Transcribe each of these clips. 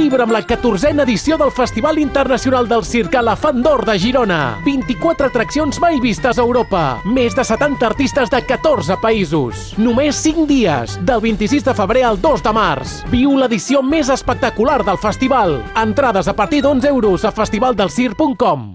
Vibra amb la 14a edició del Festival Internacional del Circ Elefant d'Or de Girona. 24 atraccions mai vistes a Europa. Més de 70 artistes de 14 països. Només 5 dies, del 26 de febrer al 2 de març. Viu l'edició més espectacular del festival. Entrades a partir d'11 € a festivaldelcirc.com.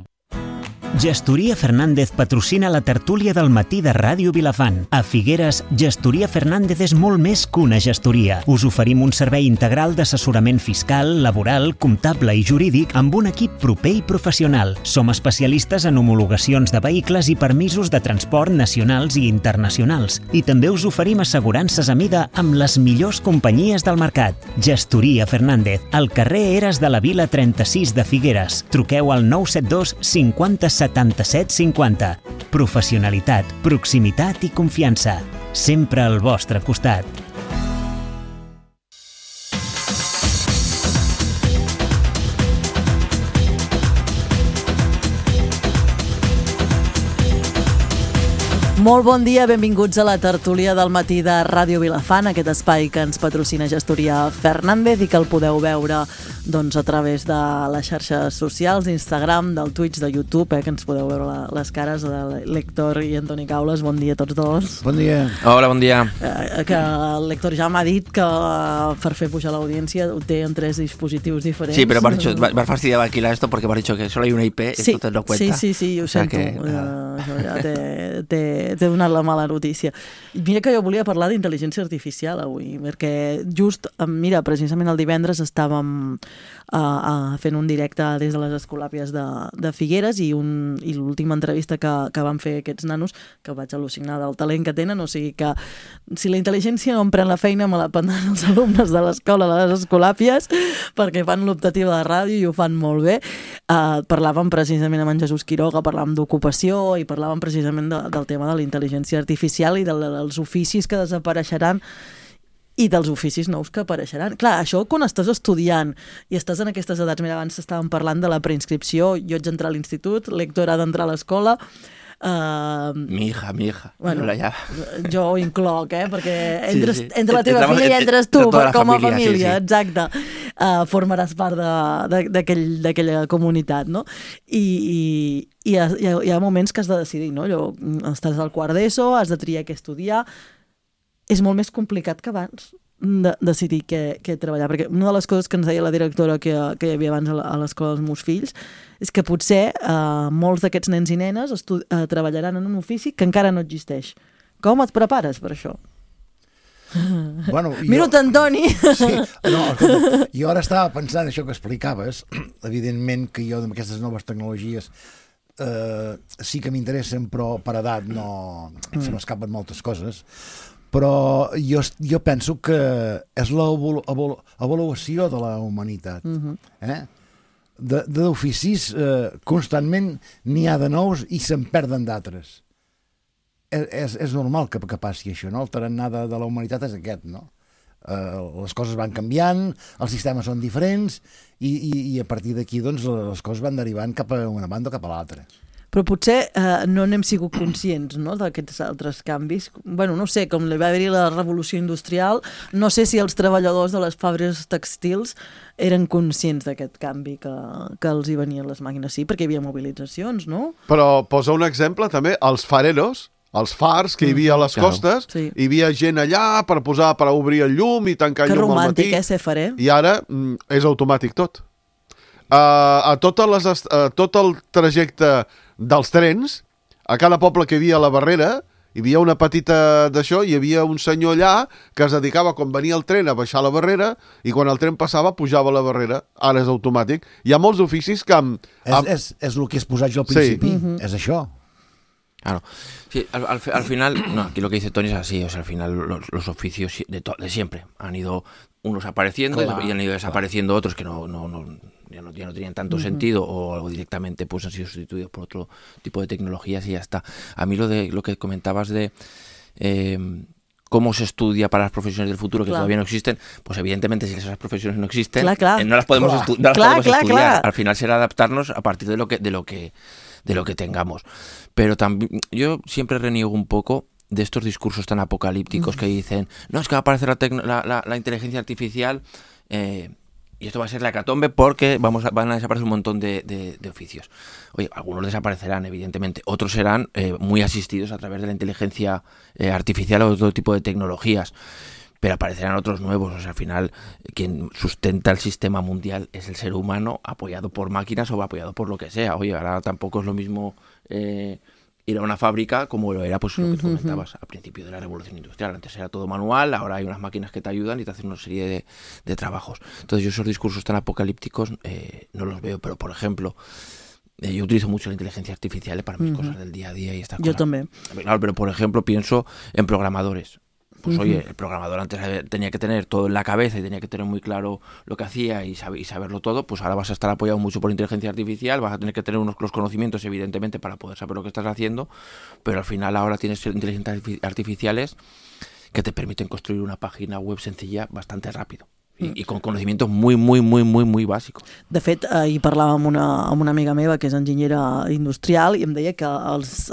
Gestoria Fernández patrocina la tertúlia del matí de Ràdio Vilafant. A Figueres, Gestoria Fernández és molt més que una gestoria. Us oferim un servei integral d'assessorament fiscal, laboral, comptable i jurídic amb un equip proper i professional. Som especialistes en homologacions de vehicles i permisos de transport nacionals i internacionals. I també us oferim assegurances a mida amb les millors companyies del mercat. Gestoria Fernández, al carrer Eres de la Vila 36 de Figueres. Truqueu al 972 50 77 50. Professionalitat, proximitat i confiança. Sempre al vostre costat. Molt bon dia, benvinguts a la tertúlia del matí de Ràdio Vilafant, aquest espai que ens patrocina Gestoria Fernández i que el podeu veure a través de les xarxes socials, d'Instagram, del Twitch, de YouTube, que ens podeu veure les cares de l'Héctor i Antoni Caules. Bon dia a tots dos. Bon dia. Hola, bon dia. Que l'Héctor ja m'ha dit que per fer pujar l'audiència ho té en 3 dispositius diferents. Sí, pero me has fastidiado alquilar esto porque me has dicho que solo hay una IP, sí, esto te lo cuenta. Sí, ho sento. Això ja t'he donat la mala notícia. Mira que jo volia parlar d'intel·ligència artificial avui, perquè just, mira, precisament el divendres estàvem fent un directe des de les Escolàpies de Figueres i l'última entrevista que van fer aquests nanos, que vaig al·lucinar del talent que tenen, o sigui que si la intel·ligència no em pren la feina me la prendran els alumnes de l'escola de les Escolàpies, perquè fan l'optativa de ràdio i ho fan molt bé. Parlàvem precisament amb en Jesús Quiroga, parlàvem d'ocupació i parlàvem precisament del tema de la intel·ligència artificial i dels oficis que desapareixeran i dels oficis nous que apareixeran. Clar, això quan estàs estudiant i estàs en aquestes edats, mira, abans estàvem parlant de la preinscripció, jo haig d'entrar a l'institut, l'Héctor ha d'entrar a l'escola. Mi hija. Bueno, ja. Jo ho incloc, perquè entre la teva filla i entres tu com a família, sí. Exacte. Formaràs part d'aquella comunitat, no? I hi ha moments que has de decidir, no? Estàs al quart d'ESO, has de triar què estudiar. És molt més complicat que abans decidir què treballar, perquè una de les coses que ens deia la directora que hi havia abans a l'escola dels meus fills és que potser molts d'aquests nens i nenes treballaran en un ofici que encara no existeix. Com et prepares per això? Bueno, Miro-te, Antoni! Sí, no, escolta, jo ara estava pensant això que explicaves, evidentment que jo amb aquestes noves tecnologies sí que m'interessen, però per edat no se m'escapen moltes coses. Però jo penso que és l'avaluació de la humanitat. D'oficis constantment n'hi ha de nous i se'n perden d'altres. És normal que passi això, no? El tarannà de la humanitat és aquest, no? Les coses van canviant, els sistemes són diferents i a partir d'aquí doncs, les coses van derivant cap a una banda o cap a l'altra. Però potser no n'hem sigut conscients, no?, d'aquests altres canvis. Bueno, no sé, com va haver-hi la revolució industrial, no sé si els treballadors de les fàbriques tèxtils eren conscients d'aquest canvi que els hi venien les màquines. Sí, perquè hi havia mobilitzacions, no? Però posa un exemple també, els fareros, els fars que hi havia a les costes, sí. Hi havia gent allà per obrir el llum i tancar el llum al matí. Que romàntic, ser farer. I ara és automàtic tot. Tot el trajecte dels trens, a cada poble que hi havia a la Barrera, hi havia una petita d'això, hi havia un senyor allà que es dedicava, quan venia el tren, a baixar la Barrera, i quan el tren passava, pujava la Barrera. Ara és automàtic. Hi ha molts oficis que... És el que has posat jo al principi, sí. És això. Claro. Sí, al final, no, aquí lo que dice Tony es así, o sea, al final los oficios de siempre han ido unos apareciendo y han ido desapareciendo otros que ya no tenían tanto sentido o directamente pues han sido sustituidos por otro tipo de tecnologías y ya está. A mí lo que comentabas de cómo se estudia para las profesiones del futuro que todavía no existen, pues evidentemente si esas profesiones no existen, no las podemos estudiar. Al final será adaptarnos a partir de lo que tengamos. Pero también yo siempre reniego un poco de estos discursos tan apocalípticos que dicen, no, es que va a aparecer la inteligencia artificial y esto va a ser la hecatombe porque van a desaparecer un montón de oficios. Oye, algunos desaparecerán, evidentemente, otros serán muy asistidos a través de la inteligencia artificial o de otro tipo de tecnologías, pero aparecerán otros nuevos. O sea, al final, quien sustenta el sistema mundial es el ser humano, apoyado por máquinas o apoyado por lo que sea. Oye, ahora tampoco es lo mismo ir a una fábrica como lo era pues lo que tú comentabas al principio de la revolución industrial. Antes era todo manual, ahora hay unas máquinas que te ayudan y te hacen una serie de trabajos. Entonces yo esos discursos tan apocalípticos no los veo, pero por ejemplo, yo utilizo mucho la inteligencia artificial para mis cosas del día a día y estas cosas. Yo también. Claro, pero por ejemplo pienso en programadores. Pues oye, el programador antes tenía que tener todo en la cabeza y tenía que tener muy claro lo que hacía y saberlo todo, pues ahora vas a estar apoyado mucho por inteligencia artificial, vas a tener que tener los conocimientos evidentemente para poder saber lo que estás haciendo, pero al final ahora tienes inteligencias artificiales que te permiten construir una página web sencilla bastante rápido. I con coneixements muy bàsics. De fet, ahir parlava amb una amiga meva que és enginyera industrial i em deia que els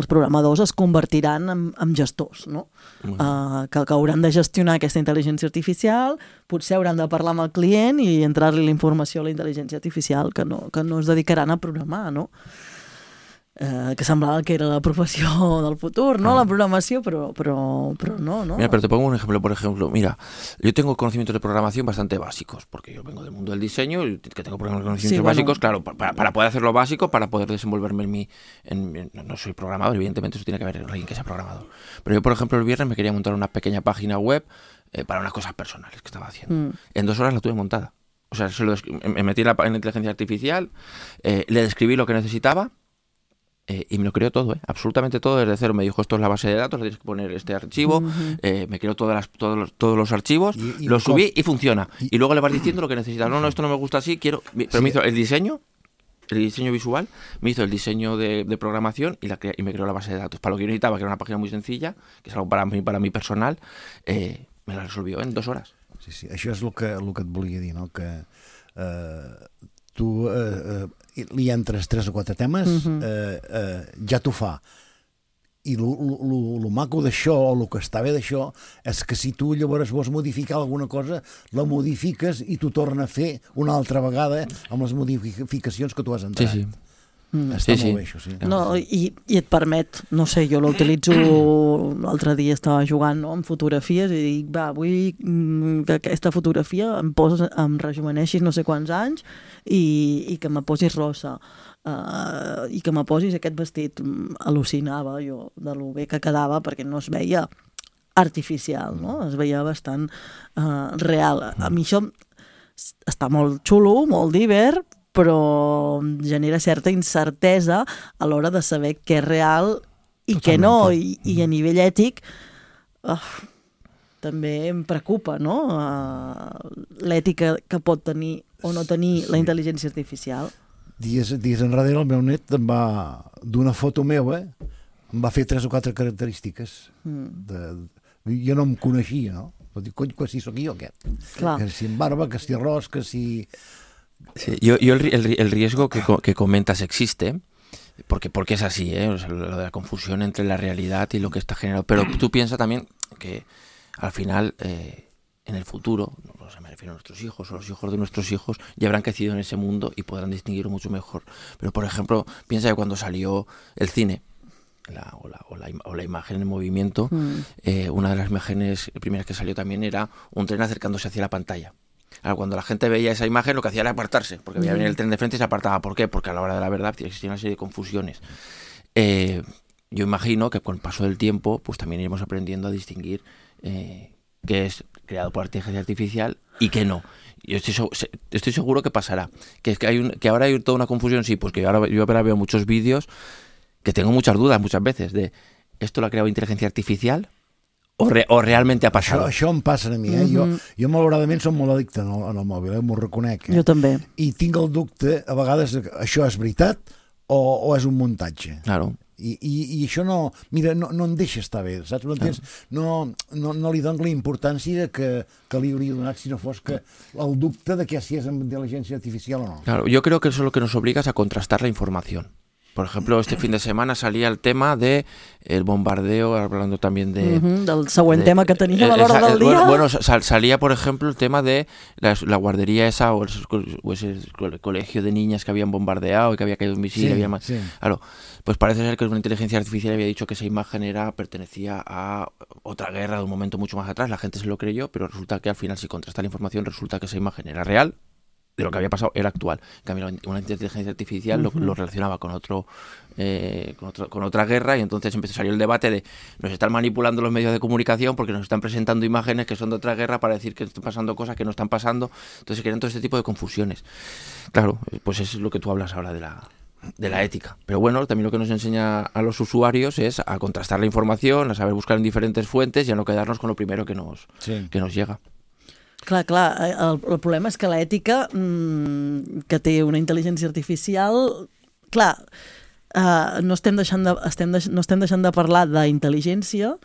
programadors es convertiran en gestors, no? Que hauran de gestionar aquesta intel·ligència artificial, potser hauran de parlar amb el client i entrar-li la informació a la intel·ligència artificial, que no es dedicaran a programar, no? Que semblaba que era la profesión del futuro, ¿no? La programación, pero no. Mira, pero te pongo un ejemplo, por ejemplo. Mira, yo tengo conocimientos de programación bastante básicos, porque yo vengo del mundo del diseño y que tengo conocimientos básicos, claro, para poder hacer lo básico, para poder desenvolverme no soy programador, evidentemente eso tiene que haber alguien que sea programador. Pero yo, por ejemplo, el viernes me quería montar una pequeña página web para unas cosas personales que estaba haciendo. En 2 horas la tuve montada. O sea, me metí en la inteligencia artificial, le describí lo que necesitaba, y me lo creó todo, absolutamente todo desde cero. Me dijo, esto es la base de datos, le tienes que poner este archivo, me creó todos los archivos, lo subí y funciona. Y luego le vas diciendo lo que necesitas. No, esto no me gusta así, quiero... Pero me hizo el diseño visual, me hizo el diseño de programación y me creó la base de datos. Para lo que yo necesitaba, que era una página muy sencilla, que es algo para mí personal, me la resolvió en 2 horas. Sí, això és el que et volia dir, no? Que tu li entres 3 o 4 temes, ja t'ho fa. I el maco d'això, o el que està bé d'això, és que si tu llavors vols modificar alguna cosa, la modifiques i t'ho torna a fer una altra vegada amb les modificacions que tu has entrat. Sí. Està molt bé, això, sí. No, i et permet, no sé, jo l'utilitzo, l'altre dia estava jugant, no?, amb fotografies i dic, va, vull que aquesta fotografia em rejuveneixis no sé quants anys i que me posis rosa i que me posis aquest vestit. Al·lucinava jo de lo bé que quedava perquè no es veia artificial, no? Es veia bastant real. A mi això està molt xulo, molt divert, però genera certa incertesa a l'hora de saber què és real i què no, i a nivell ètic també em preocupa, no? L'ètica que pot tenir o no tenir la intel·ligència artificial. Dies enrere el meu net em va, d'una foto meva, em va fer 3 o 4 característiques. Jo no em coneixia, no? Dic, cony, que si sóc jo aquest. Que si amb barba, que si arròs, que si... Sí, yo el riesgo que comentas existe, porque es así, o sea, lo de la confusión entre la realidad y lo que está generado. Pero tú piensas también que al final, en el futuro, no sé, me refiero a nuestros hijos o los hijos de nuestros hijos, ya habrán crecido en ese mundo y podrán distinguirlo mucho mejor. Pero, por ejemplo, piensa que cuando salió el cine, o la imagen en movimiento, una de las imágenes primeras que salió también era un tren acercándose hacia la pantalla. Ahora, cuando la gente veía esa imagen, lo que hacía era apartarse, porque veía venir el tren de frente y se apartaba. ¿Por qué? Porque a la hora de la verdad existía una serie de confusiones. Yo imagino que con el paso del tiempo, pues también iremos aprendiendo a distinguir qué es creado por inteligencia artificial y qué no. Yo estoy seguro que pasará. Que ahora hay toda una confusión, sí, pues que yo ahora veo muchos vídeos que tengo muchas dudas muchas veces de ¿esto lo ha creado inteligencia artificial? O realment ha passat? Això em passa a mi, Jo malauradament som molt addicte en el mòbil, m'ho reconec. Jo també. I tinc el dubte, a vegades, això és veritat o és un muntatge. Claro. I això no em deixa estar bé, saps? No li dono la importància que li hauria donat si no fos que el dubte de que si és amb intel·ligència artificial o no. Claro, yo creo que eso es lo que nos obliga a contrastar la información. Por ejemplo, este fin de semana salía el tema de el bombardeo, hablando también de... del següent tema que teníem a l'hora del dia. Bueno, salía, por ejemplo, el tema de la guardería esa o ese colegio de niñas que habían bombardeado y que había caído un misil. Claro, pues parece ser que una inteligencia artificial había dicho que esa imagen pertenecía a otra guerra de un momento mucho más atrás. La gente se lo creyó, pero resulta que al final, si contrasta la información, resulta que esa imagen era real, de lo que había pasado era actual. En cambio, una inteligencia artificial lo relacionaba con otra guerra, y entonces empezó a salir el debate de nos están manipulando los medios de comunicación porque nos están presentando imágenes que son de otra guerra para decir que están pasando cosas que no están pasando. Entonces se crean todo este tipo de confusiones. Claro, pues es lo que tú hablas ahora de la ética. Pero bueno, también lo que nos enseña a los usuarios es a contrastar la información, a saber buscar en diferentes fuentes y a no quedarnos con lo primero que nos llega. Clar, el problema és que l'ètica que té una intel·ligència artificial, clar, no estem deixant de parlar d'intel·ligència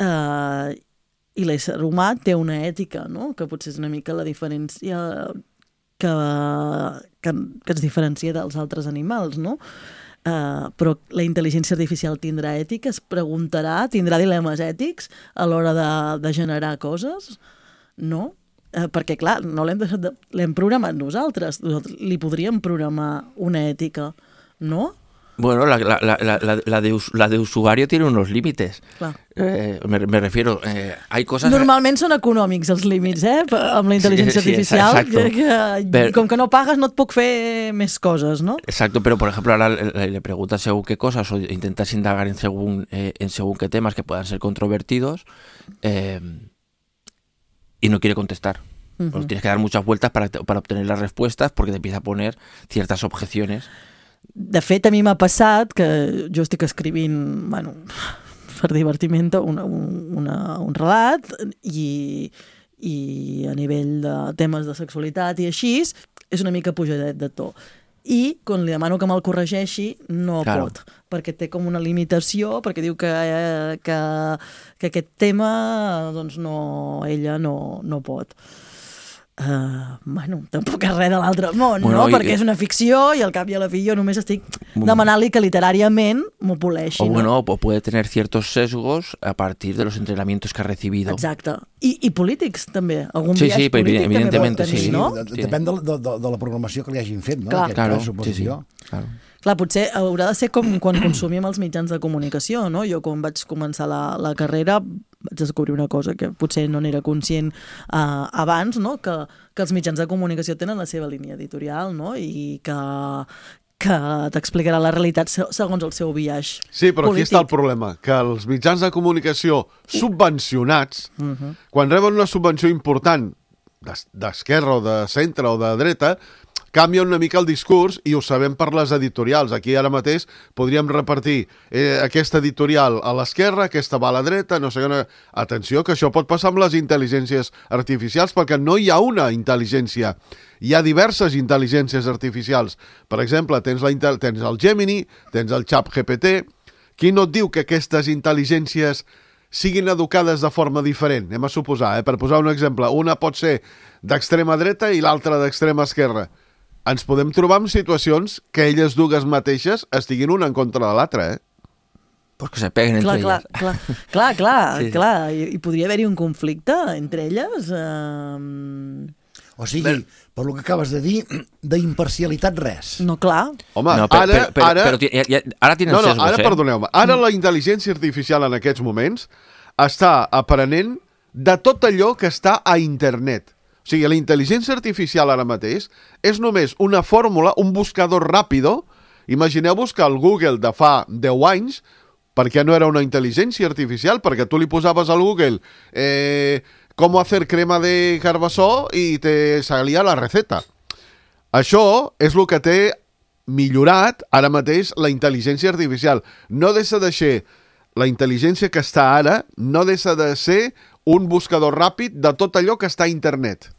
i l'ésser humà té una ètica, no? Que potser és una mica la diferència que ens diferencia dels altres animals, no? Però la intel·ligència artificial tindrà ètica, es preguntarà, tindrà dilemes ètics a l'hora de generar coses, no? Perquè, clar, no l'hem programat nosaltres li podríem programar una ètica, no? Bueno, la de usuario tiene unos límites. Me refiero, hay cosas... Normalment són econòmics els límits, amb la intel·ligència artificial. Com que no pagues no et puc fer més coses, ¿no? Exacto, pero por ejemplo ahora le preguntas según qué cosas o intentas indagar en según qué temas que puedan ser controvertidos, y no quiere contestar. Pues tienes que dar muchas vueltas para obtener las respuestas porque te empieza a poner ciertas objeciones. De fet, a mi m'ha passat que jo estic escrivint, bueno, per divertiment, un relat i a nivell de temes de sexualitat i així, és una mica pujadet de to. I quan li demano que me'l corregeixi, no pot, perquè té com una limitació, perquè diu que aquest tema, doncs ella no pot. Bueno, tampoc és res de l'altre món, no? Perquè és una ficció i al cap i a la fi jo només estic demanant-li que literàriament m'ho poleixi. O puede tener ciertos sesgos a partir de los entrenamientos que ha recibido. Exacte. I polítics també. Algun biaix polític evidentemente, també pot tenir, no? Depèn de la programació que li hagin fet, no? Claro, Clar, potser haurà de ser com quan consumim els mitjans de comunicació, no? Jo quan vaig començar la carrera vaig descobrir una cosa que potser no n'era conscient abans, no? Que els mitjans de comunicació tenen la seva línia editorial, no? I que t'explicarà la realitat segons el seu biaix polític. Sí, però aquí està el problema, que els mitjans de comunicació subvencionats, quan reben una subvenció important d'esquerra o de centre o de dreta, canvia una mica el discurs i ho sabem per les editorials. Aquí ara mateix podríem repartir aquesta editorial a l'esquerra, aquesta va a la dreta, no sé què... Atenció, que això pot passar amb les intel·ligències artificials, perquè no hi ha una intel·ligència. Hi ha diverses intel·ligències artificials. Per exemple, tens el Gemini, tens el ChatGPT. Qui no et diu que aquestes intel·ligències siguin educades de forma diferent? Anem a suposar, per posar un exemple, una pot ser d'extrema dreta i l'altra d'extrema esquerra. Ens podem trobar en situacions que elles dues mateixes estiguin una en contra de l'altra, Pues que se peguen entre elles. Clar. I podria haver-hi un conflicte entre elles. O sigui, per lo que acabes de dir, d'imparcialitat res. No, clar. Home, ara tenen sesgos, perdoneu-me. Ara la intel·ligència artificial en aquests moments està aprenent de tot allò que està a internet. O sigui, la intel·ligència artificial ara mateix és només una fórmula, un buscador ràpido. Imagineu-vos que el Google de fa 10 anys, perquè no era una intel·ligència artificial, perquè tu li posaves al Google com hacer crema de carbassó i te salía la receta. Això és el que té millorat ara mateix la intel·ligència artificial. No deixa de ser la intel·ligència que està ara, no deixa de ser un buscador ràpid de tot allò que està a internet.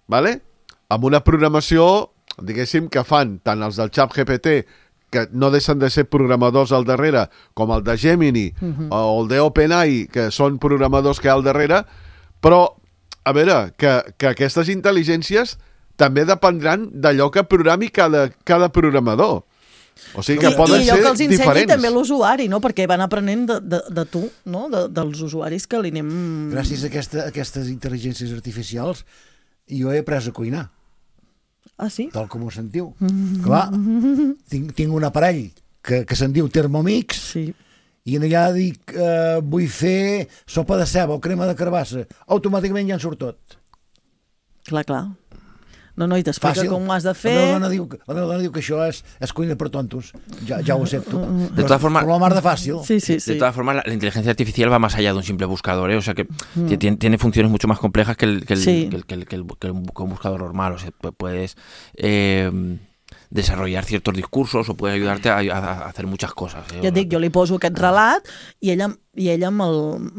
Vale? Amb una programació, diguéssim, que fan tant els del ChatGPT, que no deixen de ser programadors al darrere, com el de Gemini o el d'OpenAI, que són programadors que hi ha al darrere, però, a veure, que aquestes intel·ligències també dependran d'allò que programi cada programador. O sigui que poden I ser allò que els ensenyi diferents. també l'usuari, no? Perquè van aprenent de tu, no? Dels usuaris que li anem... Gràcies a aquestes intel·ligències artificials jo he après a cuinar, Ah, sí? tal com ho sentiu. Clar, tinc un aparell que se'n diu Thermomix, Sí. i allà dic, vull fer sopa de ceba o crema de carbassa. Automàticament ja en surt tot. Clar. No, i t'explica Fàcil. com ho has de fer. La meva dona diu que això és cuina per tontos. Ja ho accepto. De todas formas, Però la mar de fàcil. Sí. De todas formas, la inteligencia artificial va más allá de un simple buscador, ¿eh? O sea que tiene funciones mucho más complejas que un buscador normal. O sea, puedes desarrollar ciertos discursos o puede ayudarte a hacer muchas cosas. Ja et dic, jo li poso aquest relat i ella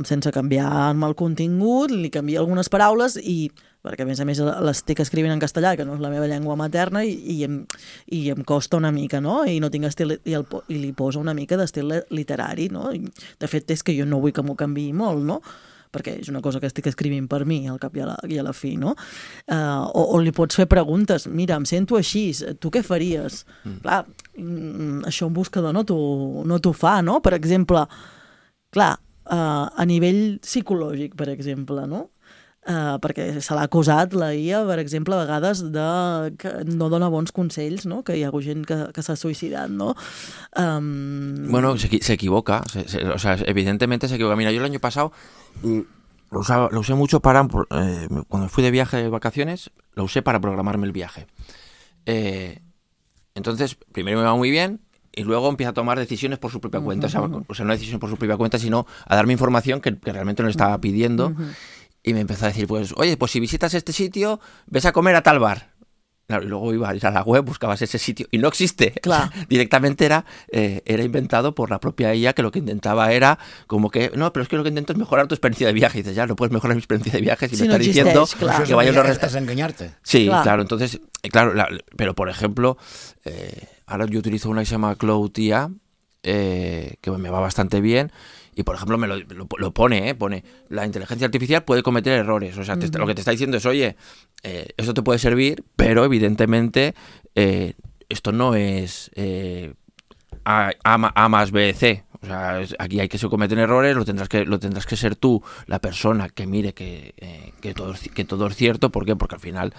sense canviar-me el contingut, li canvia algunes paraules perquè a més l'estic escrivint en castellà, que no és la meva llengua materna, i em costa una mica, no? I no tinc estil, i li poso una mica d'estil literari, no? I, de fet, és que jo no vull que m'ho canviï molt, no? Perquè és una cosa que estic escrivint per mi, al cap i a la fi, no? O li pots fer preguntes, mira, em sento així, tu què faries? Clar, això un buscador no t'ho fa, no? Per exemple, clar, a nivell psicològic, per exemple, no? Perquè se l'ha acusat la IA, per exemple, a vegades que no dona bons consells, no? Que hi ha gent que s'ha suïcidat, no? Bueno, se equivoca, o sea, evidentemente se equivoca. Mira, yo el año pasado lo usé mucho cuando fui de viaje de vacaciones, lo usé para programarme el viaje. Entonces, primero me va muy bien, y luego empieza a tomar decisiones por su propia cuenta. O sea, no decisiones por su propia cuenta, sino a darme información que realmente no le estaba pidiendo. Y me empezó a decir, pues, oye, pues si visitas este sitio, ves a comer a tal bar. Claro, y luego iba a ir a la web, buscabas ese sitio y no existe. Claro. Directamente era inventado por la propia IA, que lo que intentaba era como que, no, pero es que lo que intento es mejorar tu experiencia de viaje. Y dices, ya, no puedes mejorar mi experiencia de viaje si me estás diciendo claro. que vayas a los Estás engañarte. Sí, claro. Entonces, claro, pero por ejemplo, ahora yo utilizo una que se llama Cloud IA, que me va bastante bien. Y, por ejemplo, me lo pone, la inteligencia artificial puede cometer errores. O sea, lo que te está diciendo es, oye, esto te puede servir, pero evidentemente esto no es A más B, C. O sea, aquí hay que se cometen errores, lo tendrás que ser tú la persona que mire que todo es cierto. ¿Por qué? Porque al final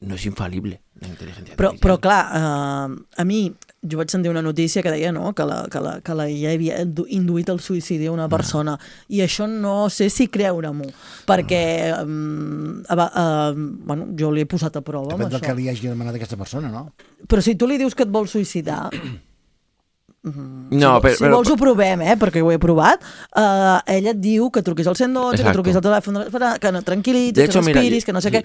no és infal·lible la intel·ligència artificial. Però clar, a mi jo vaig sentir una notícia que deia, no?, que la IA havia induït el suïcidi a una persona, i això no sé si creure-m'ho, perquè bueno, jo li he posat a prova amb Depèn del això. que li hagi demanat a aquesta persona, no? Però si tu li dius que et vols suïcidar, No, si vols ho provem, perquè ho he provat, ella et diu que truquis al 112, Exacto. que truquis al telèfon, que no tranquil·litzis, que respiris, que no sé què.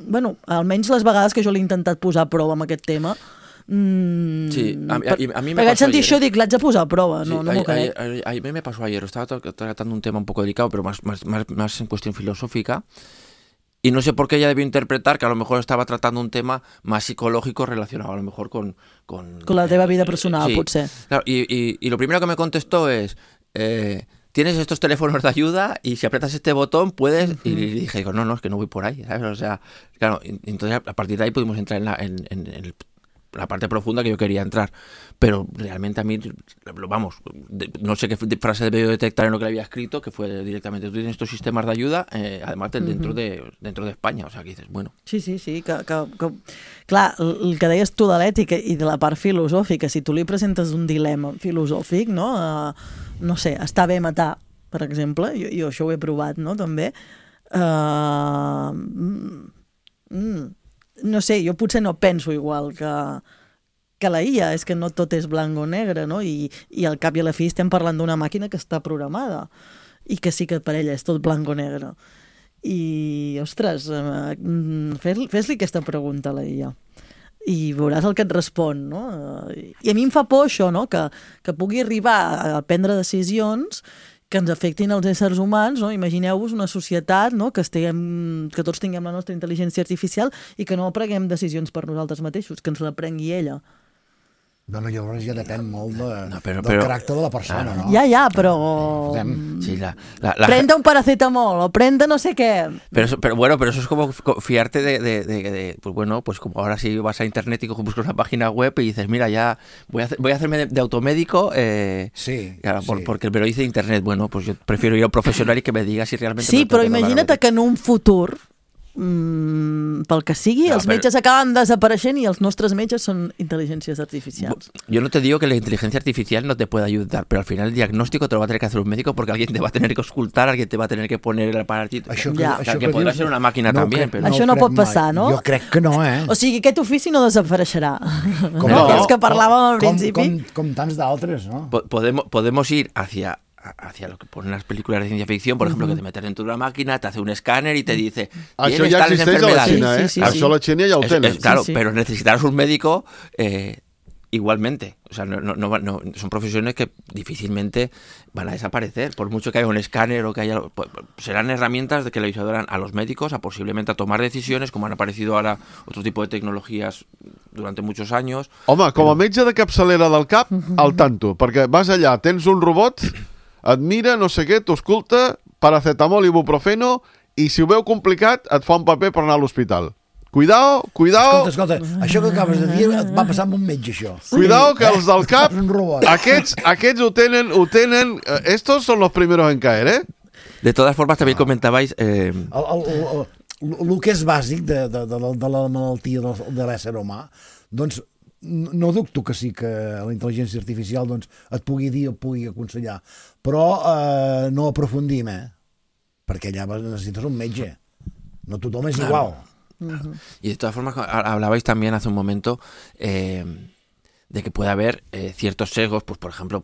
Bueno, almenys les vegades que jo l'he intentat posar a prova amb aquest tema, sí, a mí me perquè vaig pasó sentir ayer. això i dic, l'haig de posar a prova, Sí, no m'ho crec. a mí me pasó ayer, estaba tratando un tema un poco delicado, pero más en cuestión filosófica, y no sé por qué ella debió interpretar que a lo mejor estaba tratando un tema más psicológico relacionado a lo mejor con la teva vida personal, sí. potser. Claro, y lo primero que me contestó es, tienes estos teléfonos de ayuda y si aprietas este botón puedes... Y dije, no, es que no voy por ahí, ¿sabes? O sea, claro, entonces a partir de ahí pudimos entrar en la parte profunda que yo quería entrar, pero realmente a mí, vamos, no sé qué frase debió detectar en lo que le había escrito, que fue directamente, tú tienes estos sistemas de ayuda, además dentro de España, o sea, que dices, bueno. Sí, que clar, el que deies tu de l'ètica i de la part filosòfica, si tu li presentes un dilema filosòfic, no? No sé, està bé matar, per exemple, jo això ho he provat, no?, també. No sé, jo potser no penso igual que la IA, és que no tot és blanc o negre, no? I al cap i a la fi estem parlant d'una màquina que està programada i que sí que per ella és tot blanc o negre. I, ostres, fes-li aquesta pregunta a la IA i veuràs el que et respon, no? I a mi em fa por això, no?, que pugui arribar a prendre decisions que ens afectin els éssers humans, no? Imagineu-vos una societat, no?, que tots tinguem la nostra intel·ligència artificial i que no preguem decisions per nosaltres mateixos, que ens la prengui ella. Bueno, llavors ja depèn molt No, del caràcter de la persona, no? Ja, però... Sí, Prende un paracetamol o prende no sé qué. Pero bueno, pero eso es como fiarte de pues bueno, pues como ahora si vas a internet y buscas una página web y dices, mira, ya voy a hacerme de automédico, Sí, claro, sí. porque me lo dice internet. Bueno, pues yo prefiero ir a un profesional y que me diga si realmente... Sí, me lo però tengo que imagina't tomar. que en un futur, pel que sigui, No, els metges acaben desapareixent i els nostres metges són intel·ligències artificials. Yo no te digo que la inteligencia artificial no te pueda ayudar, pero al final el diagnóstico te lo va a tener que hacer un médico porque alguien te va a tener que auscultar, alguien te va a tener que poner el aparatito. Que podrà ser una màquina també. Però... Això no pot passar, no? Jo crec que no, O sigui, aquest ofici no desapareixerà. Com no? no? Els que parlàvem al principi. Com tants d'altres, no? Podemos ir hacia lo que ponen las películas de ciencia ficción, por ejemplo, que te metes dentro de una máquina, te hace un escáner y te dice Això tienes ja tales existeix a la enfermedades. Xina, Sí. Això a la Xina ja ho tenen. Claro, Sí. pero necesitarás un médico igualmente. O sea, no, son profesiones que difícilmente van a desaparecer, por mucho que haya un escáner o que haya... serán herramientas que le ayudarán a los médicos a posiblemente a tomar decisiones, como han aparecido ahora otro tipo de tecnologías durante muchos años. Home, com a metge de capçalera del cap, al tanto, perquè vas allà, tens un robot, et mira, no sé què, t'ausculta, paracetamol i ibuprofeno, i si ho veu complicat, et fa un paper per anar a l'hospital. Cuidao. Escolta, això que acabes de dir et va passar amb un metge, això. Cuidao, que els del cap, Un robot. aquests ho tenen, estos son los primeros en caer, ¿eh? De todas formas, también comentabais... El que és bàsic de la malaltia de l'ésser humà, doncs no dubto que sí que la intel·ligència artificial doncs, et pugui dir o et pugui aconsellar, però no aprofundim, perquè allà necessites un metge. No tothom és igual. Y de todas formas, hablabais también hace un momento de que puede haber ciertos sesgos, pues por ejemplo,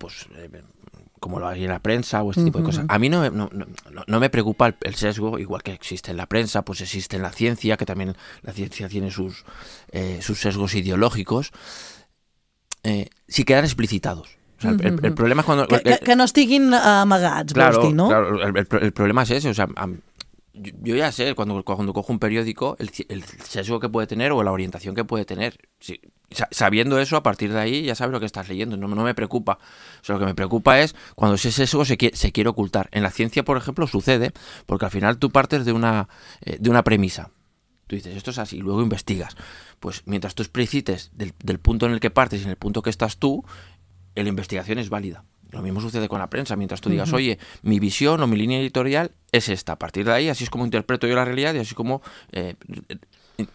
como lo hay en la prensa o este tipo de cosas. A mí no me preocupa el sesgo, igual que existe en la prensa, pues existe en la ciencia, que también la ciencia tiene sus sesgos ideológicos, si quedan explicitados. O sea, el problema es cuando... Que no estiguin amagats, vols dir, no? Claro, el problema es ese, o sea... Yo ya sé, cuando cojo un periódico, el sesgo que puede tener o la orientación que puede tener. Sí, sabiendo eso, a partir de ahí ya sabes lo que estás leyendo. No me preocupa. O sea, lo que me preocupa es cuando ese sesgo se quiere ocultar. En la ciencia, por ejemplo, sucede porque al final tú partes de una premisa. Tú dices, esto es así, y luego investigas. Pues mientras tú explicites del punto en el que partes y en el punto que estás tú, la investigación es válida. Lo mismo sucede con la prensa. Mientras tú digas, oye, mi visión o mi línea editorial es esta. A partir de ahí, así es como interpreto yo la realidad y así como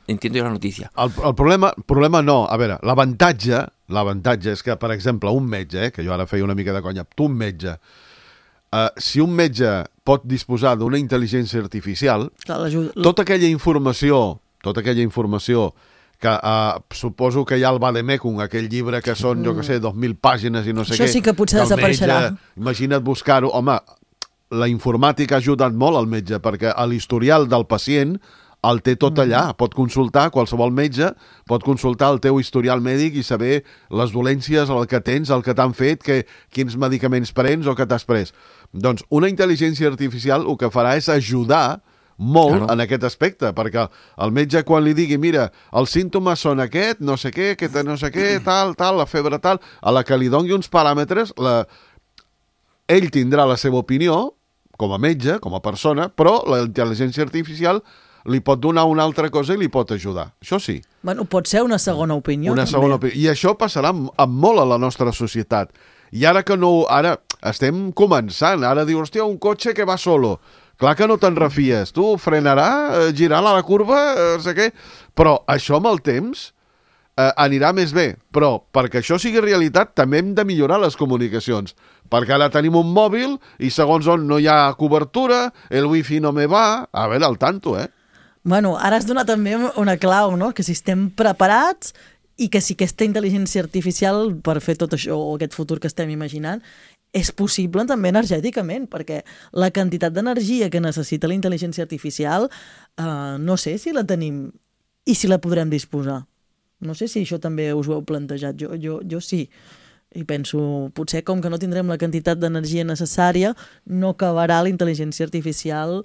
entiendo jo la notícia. El problema no. A veure, l'avantatge és que, per exemple, un metge, que jo ara feia una mica de conya, tu un metge, si un metge pot disposar d'una intel·ligència artificial, tota aquella informació que suposo que hi ha el Vademecum, aquell llibre que són, jo que sé, 2.000 pàgines i no sé què. Això sí que potser desapareixerà. Imagina't buscar-ho. Home, la informàtica ha ajudat molt al metge, perquè a l'historial del pacient el té tot allà. Pot consultar, qualsevol metge pot consultar el teu historial mèdic i saber les dolències, el que tens, el que t'han fet, quins medicaments prens o que t'has pres. Doncs una intel·ligència artificial el que farà és ajudar molt en aquest aspecte, perquè el metge quan li digui, mira, els símptomes són aquest, no sé què, tal, la febre tal, a la que li doni uns paràmetres, ell tindrà la seva opinió, com a metge, com a persona, però la intel·ligència artificial li pot donar una altra cosa i li pot ajudar. Això sí. Bueno, pot ser una segona opinió. Una segona opinió. I això passarà amb molt a la nostra societat. I ara que no... Ara estem començant. Ara diu, hòstia, un cotxe que va solo. Clar que no te'n refies. Tu frenarà, girarà la curva, no sé què. Però això amb el temps anirà més bé. Però perquè això sigui realitat també hem de millorar les comunicacions. Perquè ara tenim un mòbil i segons on no hi ha cobertura, el wifi no me va. A veure, al tanto, Bueno, ara has donat també una clau, no? Que si estem preparats i que si aquesta intel·ligència artificial per fer tot això o aquest futur que estem imaginant és possible també energèticament, perquè la quantitat d'energia que necessita la intel·ligència artificial no sé si la tenim i si la podrem disposar. No sé si això també us ho heu plantejat. Jo sí. I penso, potser com que no tindrem la quantitat d'energia necessària, no acabarà la intel·ligència artificial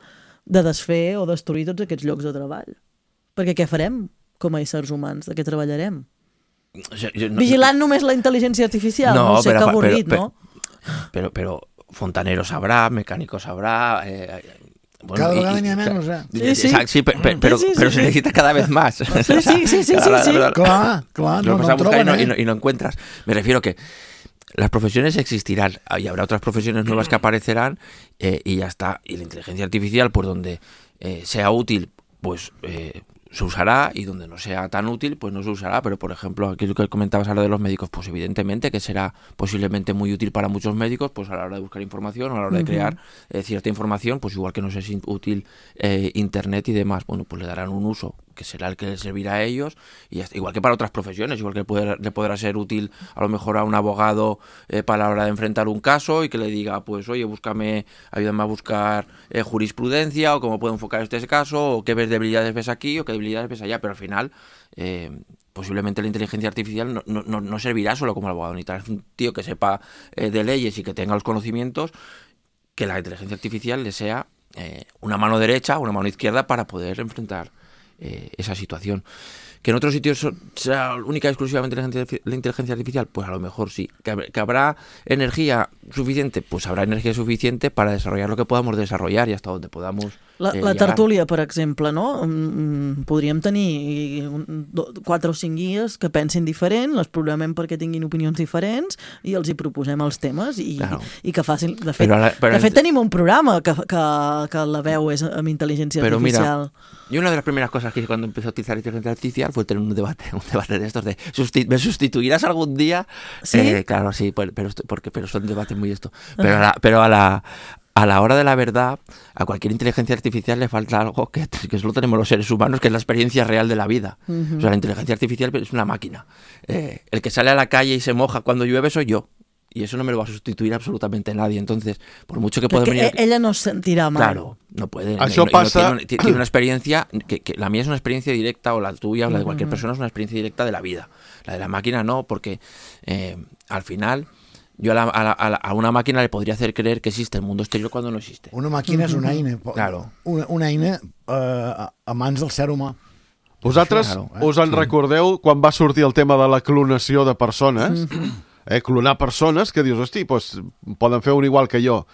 de desfer o destruir tots aquests llocs de treball. Perquè què farem com a éssers humans? De què treballarem? Vigilant només la intel·ligència artificial? No sé, que avorrit, no? Pero fontanero sabrá, mecánico sabrá... Bueno, cada vegada n'hi ha menys, Sí, pero se necesita cada vez más. Sí. Claro, no buscar y no encuentras. Me refiero que las profesiones existirán y habrá otras profesiones nuevas que aparecerán y ya está. Y la inteligencia artificial, pues donde sea útil, pues se usará, y donde no sea tan útil, pues no se usará. Pero, por ejemplo, aquí lo que comentabas ahora de los médicos, pues evidentemente que será posiblemente muy útil para muchos médicos, pues a la hora de buscar información, a la hora de crear cierta información, pues igual que no es útil Internet y demás, bueno, pues le darán un uso que será el que les servirá a ellos, y igual que para otras profesiones, igual que le podrá ser útil a lo mejor a un abogado para la hora de enfrentar un caso y que le diga, pues oye, ayúdame a buscar jurisprudencia, o cómo puedo enfocar este caso, o qué debilidades ves aquí o qué debilidades ves allá. Pero al final posiblemente la inteligencia artificial no servirá solo como abogado, necesitarás un tío que sepa de leyes y que tenga los conocimientos, que la inteligencia artificial le sea una mano derecha o una mano izquierda para poder enfrentar esa situación. Que en otros sitios sea única y exclusivamente la inteligencia artificial, pues a lo mejor sí. Que habrá energía suficiente, pues habrá energía suficiente para desarrollar lo que podamos desarrollar y hasta donde podamos la tertúlia, per exemple, no? Podríem tenir 4 o 5 guies que pensin diferent, les programem perquè tinguin opinions diferents i els hi proposem els temes i que facin... De fet, tenim un programa que la veu és amb intel·ligència artificial. Mira, y una de las primeras cosas que hice cuando empecé a utilizar inteligencia artificial fue tener un debate de estos de ¿me sustituirás algún día? ¿Sí? Claro, sí, pero son debates muy esto. Pero a la hora de la verdad, a cualquier inteligencia artificial le falta algo que solo tenemos los seres humanos, que es la experiencia real de la vida. O sea, la inteligencia artificial es una máquina. El que sale a la calle y se moja cuando llueve soy yo. Y eso no me lo va a sustituir absolutamente nadie. Entonces, por mucho que pueda venir... ella no se sentirá mal. Claro, no puede. Això passa... Tiene una experiencia, que la mía es una experiencia directa, o la tuya, o la de cualquier persona, es una experiencia directa de la vida. La de la máquina no, porque al final... Yo a una máquina le podría hacer creer que existe el mundo exterior cuando no existe. Una màquina és una eina. Claro. Una eina a mans del ser humà. Vosaltres us en recordeu quan va sortir el tema de la clonació de persones? Clonar persones que dius, hosti, doncs poden fer un igual que jo.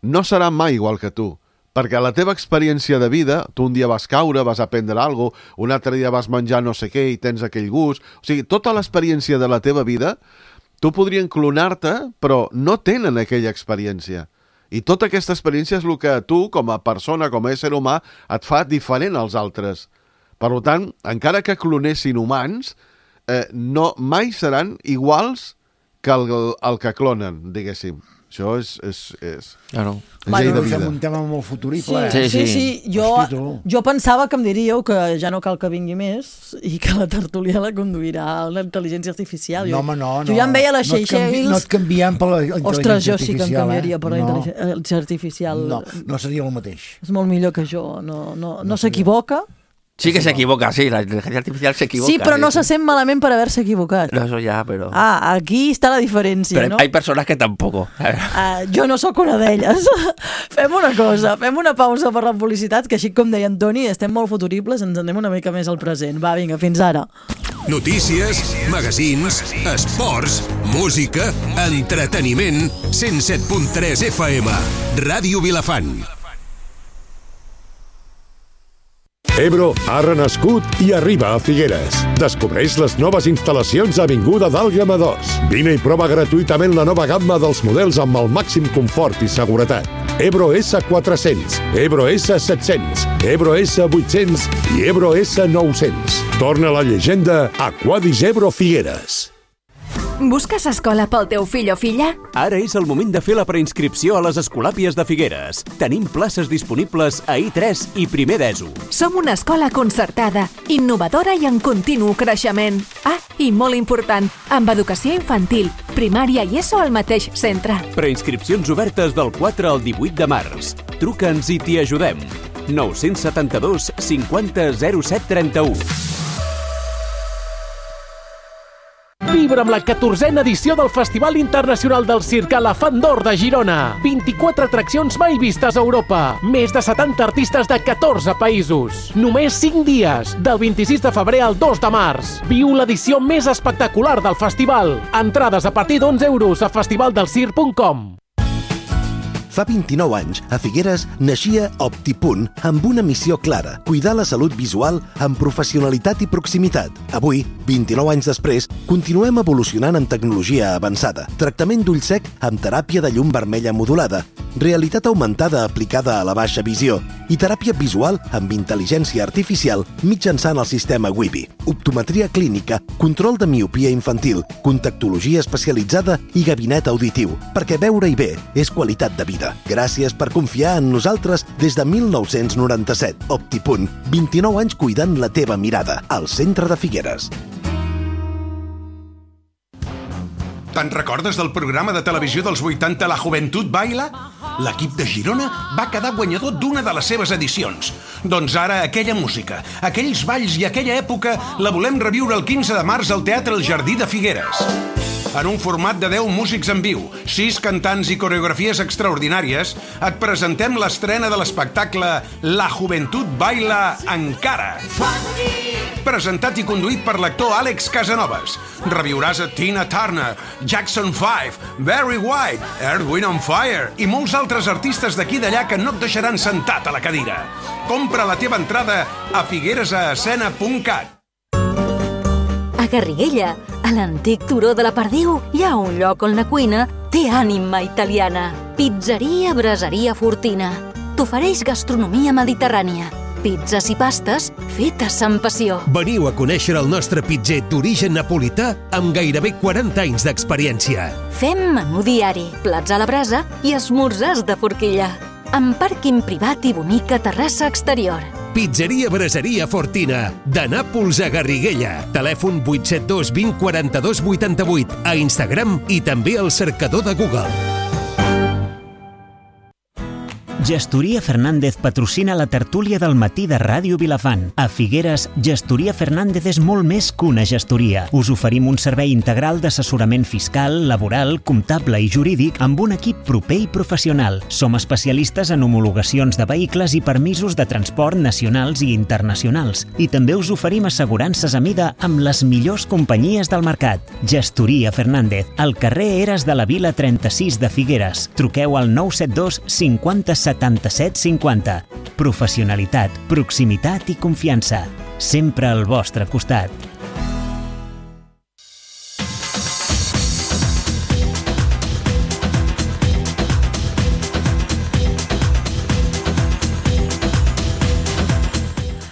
No serà mai igual que tu, perquè la teva experiència de vida, tu un dia vas caure, vas aprendre alguna cosa, un altre dia vas menjar no sé què i tens aquell gust. O sigui, tota l'experiència de la teva vida, tu podrien clonar-te, però no tenen aquella experiència. I tota aquesta experiència és el que tu, com a persona, com a ésser humà, et fa diferent als altres. Per tant, encara que clonessin humans, mai seran iguals que el que clonen, diguéssim. Això és claro. Fem un tema molt futurible. Sí. Jo pensava que em diríeu que ja no cal que vingui més i que la tertúlia la conduirà la intel·ligència artificial. No. Jo ja em veia les Seychelles... No et canviem per la intel·ligència artificial. Ostres, jo sí que em canviaria per la intel·ligència artificial. No seria el mateix. És molt millor que jo. No s'equivoca. Sí que se equivoca, sí, la inteligencia artificial se equivoca. Sí, però no se sent malament per haver-se equivocat. No, eso ya, pero... aquí està la diferència, pero no? Hay personas que tampoco. Jo no sóc una d'elles. Fem una cosa, fem una pausa per la publicitat, que així com deia Antoni, estem molt futuribles, ens anem una mica més al present. Va, vinga, fins ara. Notícies, magazins, esports, música, entreteniment, 107.3 FM, Ràdio Vilafant. Ebro ha renascut i arriba a Figueres. Descobreix les noves instal·lacions a Avinguda d'Àlgama 2. Vine i prova gratuïtament la nova gamma dels models amb el màxim confort i seguretat. Ebro S400, Ebro S700, Ebro S800 i Ebro S900. Torna la llegenda a Quadis Ebro Figueres. Busques escola pel teu fill o filla? Ara és el moment de fer la preinscripció a les Escolàpies de Figueres. Tenim places disponibles a I3 i primer d'ESO. Som una escola concertada, innovadora i en continu creixement. I molt important, amb educació infantil, primària i ESO al mateix centre. Preinscripcions obertes del 4 al 18 de març. Truca'ns i t'hi ajudem. 972 50 07 31. Celebra amb la 14a edició del Festival Internacional del Circ Elefant d'Or de Girona. 24 atraccions mai vistes a Europa. Més de 70 artistes de 14 països. Només 5 dies, del 26 de febrer al 2 de març. Viu l'edició més espectacular del festival. Entrades a partir d'11 € a festivaldelcirc.com. Fa 29 anys, a Figueres, naixia OptiPunt amb una missió clara: cuidar la salut visual amb professionalitat i proximitat. Avui, 29 anys després, continuem evolucionant en tecnologia avançada. Tractament d'ull sec amb teràpia de llum vermella modulada, realitat augmentada aplicada a la baixa visió i teràpia visual amb intel·ligència artificial mitjançant el sistema Wibi. Optometria clínica, control de miopia infantil, contactologia especialitzada i gabinet auditiu, perquè veure-hi bé és qualitat de vida. Gràcies per confiar en nosaltres des de 1997. OptiPunt, 29 anys cuidant la teva mirada, al centre de Figueres. Te'n recordes del programa de televisió dels 80 La Juventud Baila? L'equip de Girona va quedar guanyador d'una de les seves edicions. Doncs ara aquella música, aquells balls i aquella època la volem reviure el 15 de març al Teatre El Jardí de Figueres. En un format de 10 músics en viu, 6 cantants i coreografies extraordinàries, et presentem l'estrena de l'espectacle La Juventud Baila Encara. Presentat i conduït per l'actor Àlex Casanovas. Reviuràs a Tina Turner, Jackson 5, Barry White, Earth, Wind and Fire i molts altres artistes d'aquí i d'allà que no et deixaran sentat a la cadira. Compra la teva entrada a figueresascena.cat. A Garriguella, a l'antic turó de la Perdiu, hi ha un lloc on la cuina té ànima italiana. Pizzeria Braseria Fortina. T'ofereix gastronomia mediterrània. Pizzas i pastes fetes amb passió. Veniu a conèixer el nostre pitzer d'origen napolità amb gairebé 40 anys d'experiència. Fem menú diari, plats a la brasa i esmorzars de forquilla. Amb pàrquing privat i bonica terrassa exterior. Pizzeria Braseria Fortina, de Nàpols a Garriguella. Telèfon 872 20 42 88, a Instagram i també al cercador de Google. Gestoria Fernández patrocina la tertúlia del matí de Ràdio Vilafant. A Figueres, Gestoria Fernández és molt més que una gestoria. Us oferim un servei integral d'assessorament fiscal, laboral, comptable i jurídic amb un equip proper i professional. Som especialistes en homologacions de vehicles i permisos de transport nacionals i internacionals. I també us oferim assegurances a mida amb les millors companyies del mercat. Gestoria Fernández, al carrer Eres de la Vila 36 de Figueres. Truqueu al 972 50 77 50. Professionalitat, proximitat i confiança. Sempre al vostre costat.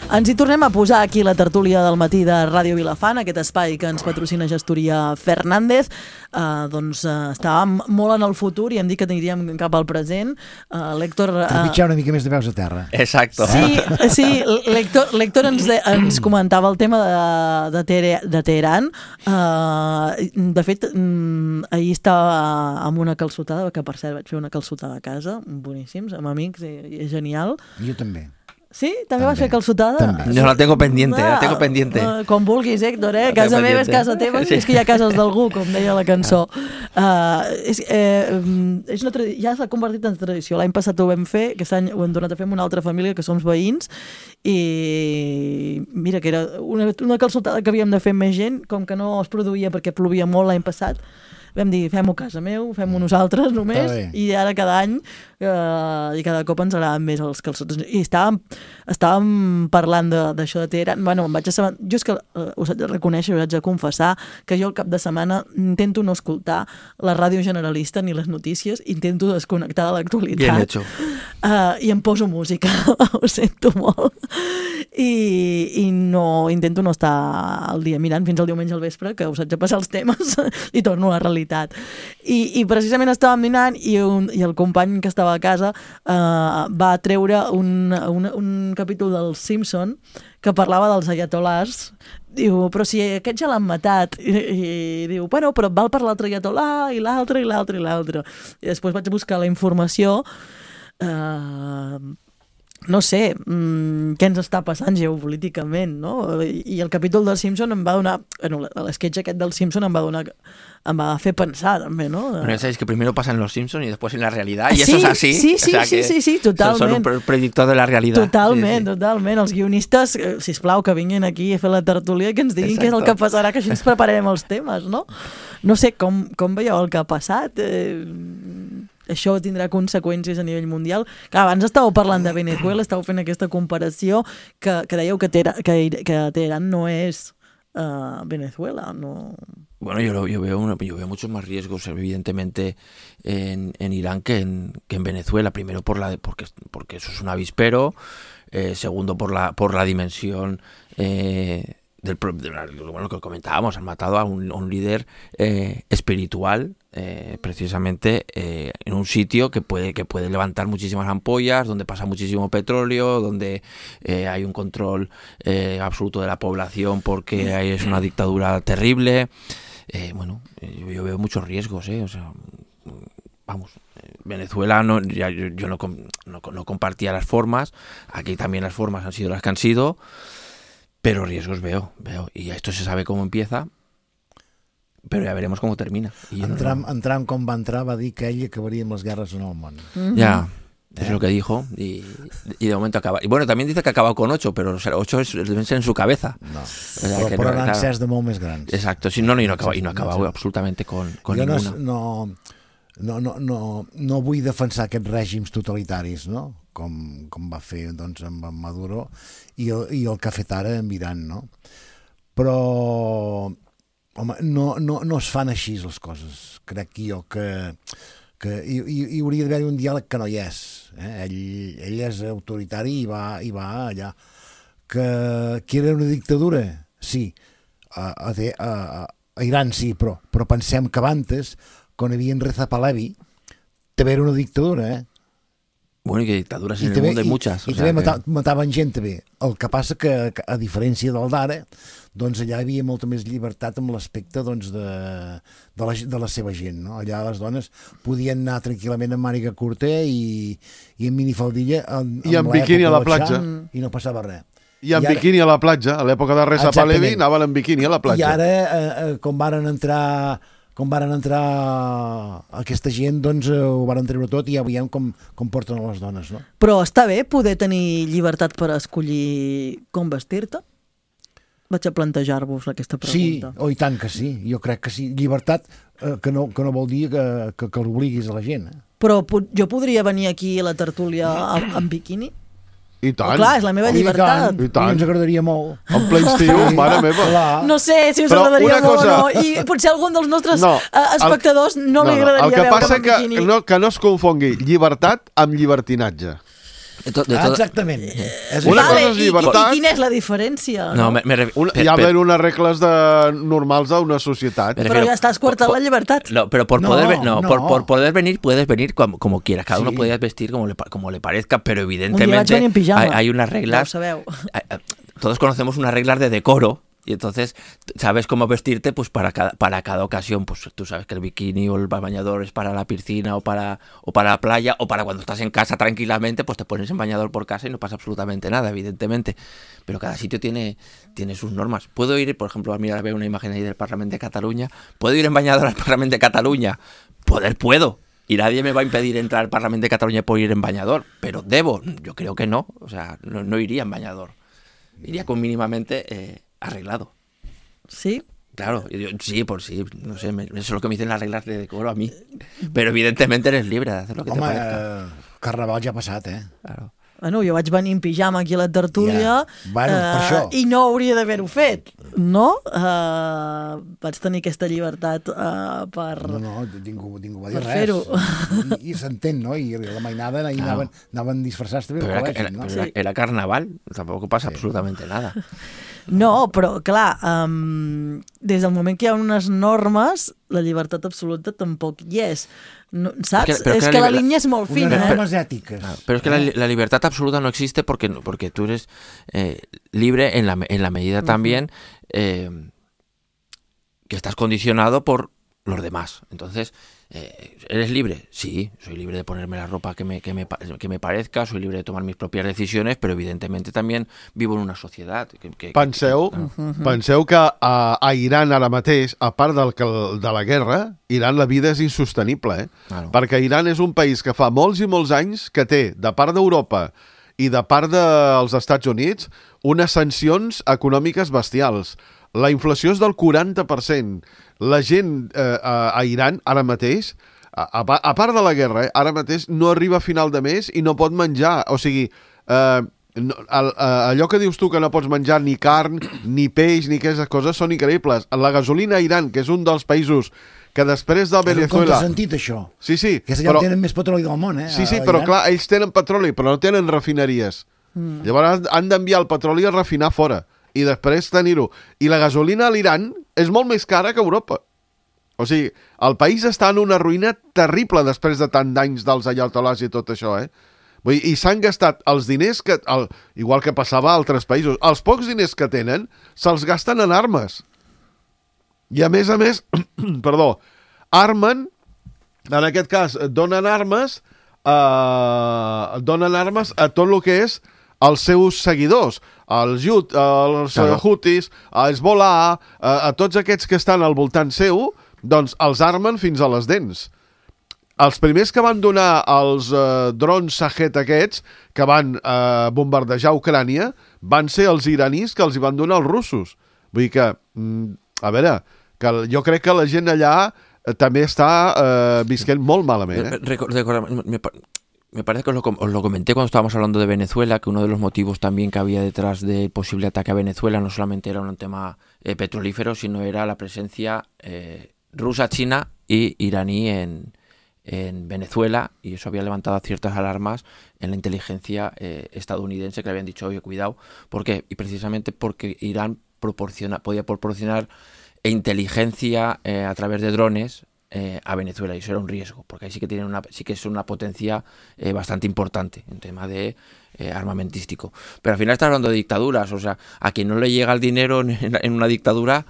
Ens hi tornem a posar aquí la tertúlia del matí de Ràdio Vilafant, aquest espai que ens patrocina Gestoria Fernández. Estàvem molt en el futur i hem dit que aniríem cap al present. L'Héctor... Trepitjar una mica més de peus a terra. Exacto. Sí, l'Héctor ens comentava el tema de Teheran. De fet, ahir estava amb una calçotada, que per cert vaig fer una calçotada a casa, boníssims, amb amics, i és genial. Jo també. Sí? També vas fer calçotada? També. Yo la tengo pendiente, Com vulguis, Héctor, Casa meva és casa teva, sí. És que hi ha cases d'algú, com deia la cançó. Ja s'ha convertit en tradició. L'any passat ho vam fer, aquest any ho hem tornat a fer amb una altra família, que som veïns, i mira, que era una calçotada que havíem de fer més gent, com que no es produïa perquè plovia molt l'any passat, vam dir, fem-ho a casa meu, fem-ho nosaltres només, i ara cada any i cada cop ens agraden més els calçots. I estàvem parlant d'això de Teheran. Bueno, em vaig assabentar, jo és que us haig de reconèixer, us haig de confessar que jo al cap de setmana intento no escoltar la ràdio generalista ni les notícies, intento desconnectar de l'actualitat. Bien hecho. I em poso música, ho sento molt. I no, intento no estar al dia mirant fins al diumenge al vespre, que us haig de passar els temes i torno a la realitat. I precisament estàvem dinant i el company que estava a casa va treure un capítol del Simpson que parlava dels ayatolars. Diu, però si aquest ja l'han matat. I diu, bueno, però val per l'altre ayatolà i l'altre i l'altre i l'altre. I després vaig buscar la informació no sé, què ens està passant geopolíticament, no? I el capítol dels Simpson em va donar, l'esquetx aquest del Simpson em va fer pensar també, no? Bueno, ya sabéis que primero pasa en los Simpsons y después en la realidad, y eso es así. Sí, totalment. Son un predictor de la realidad. Totalment. Els guionistes, sisplau, que vinguin aquí a fer la tertúlia i que ens diguin què és el que passarà, que així ens prepararem els temes, no? No sé, com veieu el que ha passat? Això tindrà conseqüències a nivell mundial. Clar, abans estàveu parlant de Venezuela, estàveu fent aquesta comparació que dèieu que Teherán no és Venezuela, no... Bueno, yo veo muchos más riesgos, evidentemente, en Irán que en Venezuela. Primero porque eso es un avispero, segundo por la dimensión lo que comentábamos, han matado a un líder espiritual, precisamente en un sitio que puede levantar muchísimas ampollas, donde pasa muchísimo petróleo, donde hay un control absoluto de la población porque es una dictadura terrible. Yo veo muchos riesgos, o sea, vamos, Venezuela yo no compartía las formas, aquí también las formas han sido las que han sido, pero riesgos veo, y esto se sabe cómo empieza, però ja veremos com termina. Entrant com va entrar va dir que ell acabaria amb les guerres en el món. Ya, es lo que dijo, y de momento acaba. Y bueno, también dice que ha acabado con 8, pero 8 deben ser en su cabeza. No, o sea, però n'han encès de molt més grans. Exacto, sí, no ha acabado absolutamente con ninguna. No vull defensar aquests règims totalitaris, no? Com va fer doncs, amb en Maduro i el que ha fet ara amb Iran, no? Però home, no es fan així les coses. Crec jo que hi hauria d'haver un diàleg que no hi és. Ell és autoritari i va allà. Que era una dictadura? Sí. A Iran sí, però pensem que abans, quan hi havia Reza Pahlavi, també era una dictadura, Bueno, y que dictaduras en el mundo hay muchas. I també mataven gent també. El que passa que, a diferència del d'ara, doncs allà hi havia molta més llibertat amb l'aspecte doncs, de la seva gent. No? Allà les dones podien anar tranquil·lament amb màniga curta i amb minifaldilla i amb biquini a la platja. I no passava res. I amb biquini a la platja. A l'època de Reza Pahlavi anaven amb biquini a la platja. I ara, com varen entrar aquesta gent, doncs ho varen treure tot i ja veiem com porten a les dones, no? Però està bé poder tenir llibertat per escollir com vestir-te? Vaig a plantejar-vos aquesta pregunta. Sí, i tant que sí, jo crec que sí. Llibertat que no vol dir que l'obliguis a la gent. Però jo podria venir aquí a la tertúlia amb biquini? I tant. Clar, és la meva llibertat. I tant. Ens agradaria molt. En ple estiu, mare meva. No sé si us agradaria molt o no. I potser algun dels nostres espectadors no li agradaria veure amb biquini. El que passa que no es confongui llibertat amb llibertinatge. Exactament. Una cosa és llibertat... I quina és la diferència? No, hi ha d'haver unes regles normals d'una societat. Però ja estàs coartant la llibertat. No, pero por poder venir, puedes venir como quieras. Cada uno puede vestir como le parezca, pero evidentemente hay unas reglas. Todos conocemos unas reglas de decoro. Y entonces sabes cómo vestirte pues para cada ocasión. Pues tú sabes que el bikini o el bañador es para la piscina o para la playa, o para cuando estás en casa tranquilamente, pues te pones en bañador por casa y no pasa absolutamente nada, evidentemente. Pero cada sitio tiene sus normas. Puedo ir, por ejemplo, mira, veo una imagen ahí del Parlamento de Cataluña. ¿Puedo ir en bañador al Parlamento de Cataluña? Puedo. Y nadie me va a impedir entrar al Parlamento de Cataluña por ir en bañador. Pero debo. Yo creo que no. O sea, no iría en bañador. Iría con mínimamente... arreglado. ¿Sí? Claro, sí, no sé, eso es lo que me dicen las reglas de decoro a mí. Pero evidentemente eres libre de hacer lo que te parezca. Carnaval ja ha passat, Claro. Bueno, jo vaig venir en pijama aquí a la tertúlia i no hauria d'haver-ho fet, no? Vaig tenir aquesta llibertat per... No, ningú va dir res. I s'entén, no? I la mainada anaven disfressats també al col·legi, no? Pero era carnaval, tampoco pasa absolutamente nada. No, però clar, des del moment que hi ha unes normes, la llibertat absoluta tampoc hi és. No, ¿sabes? Es que la línea es muy fina. Unas normas éticas. Pero es que la libertad absoluta no existe porque tú eres libre en la medida también que estás condicionado por los demás. Entonces, ¿eres libre? Sí, soy libre de ponerme la ropa que me parezca, soy libre de tomar mis propias decisiones, pero evidentment también vivo en una societat. Penseu que a Iran ara mateix, a part de la guerra, Iran la vida és insostenible, Claro. Perquè Iran és un país que fa molts i molts anys que té, de part d'Europa i de part dels Estats Units, unes sancions econòmiques bestials. La inflació és del 40%. La gent a Iran, ara mateix, a part de la guerra, ara mateix no arriba a final de mes i no pot menjar. O sigui, allò que dius tu que no pots menjar ni carn, ni peix, ni aquestes coses, són increïbles. La gasolina a Iran, que és un dels països que després de Venezuela... És un contrasentit, això. Sí, que allà tenen més petroli del món, Sí, però clar, ells tenen petroli, però no tenen refineries. Llavors han d'enviar el petroli a refinar fora i després tenir-ho. I la gasolina a l'Iran és molt més cara que a Europa. O sigui, el país està en una ruïna terrible després de tant d'anys dels ayatolás i tot això, Vull dir, i s'han gastat els diners que... igual que passava a altres països. Els pocs diners que tenen se'ls gasten en armes. I a més, perdó, armen, en aquest cas, donen armes a tot el que és els seus seguidors, els Houthis, els Hezbollah, a tots aquests que estan al voltant seu, doncs els armen fins a les dents. Els primers que van donar els drons Shahed aquests, que van bombardejar Ucrània, van ser els iranis que els hi van donar els russos. Vull dir que, a veure, que jo crec que la gent allà també està visquent molt malament. Me parece que os lo comenté cuando estábamos hablando de Venezuela, que uno de los motivos también que había detrás del posible ataque a Venezuela no solamente era un tema petrolífero, sino era la presencia rusa, china y iraní en Venezuela, y eso había levantado ciertas alarmas en la inteligencia estadounidense, que le habían dicho, oye, cuidado. ¿Por qué? Y precisamente porque Irán podía proporcionar inteligencia a través de drones a Venezuela, y eso era un riesgo, porque ahí sí que es una potencia bastante importante en tema de armamentístico. Pero al final está hablando de dictaduras, o sea, a quien no le llega el dinero en una dictadura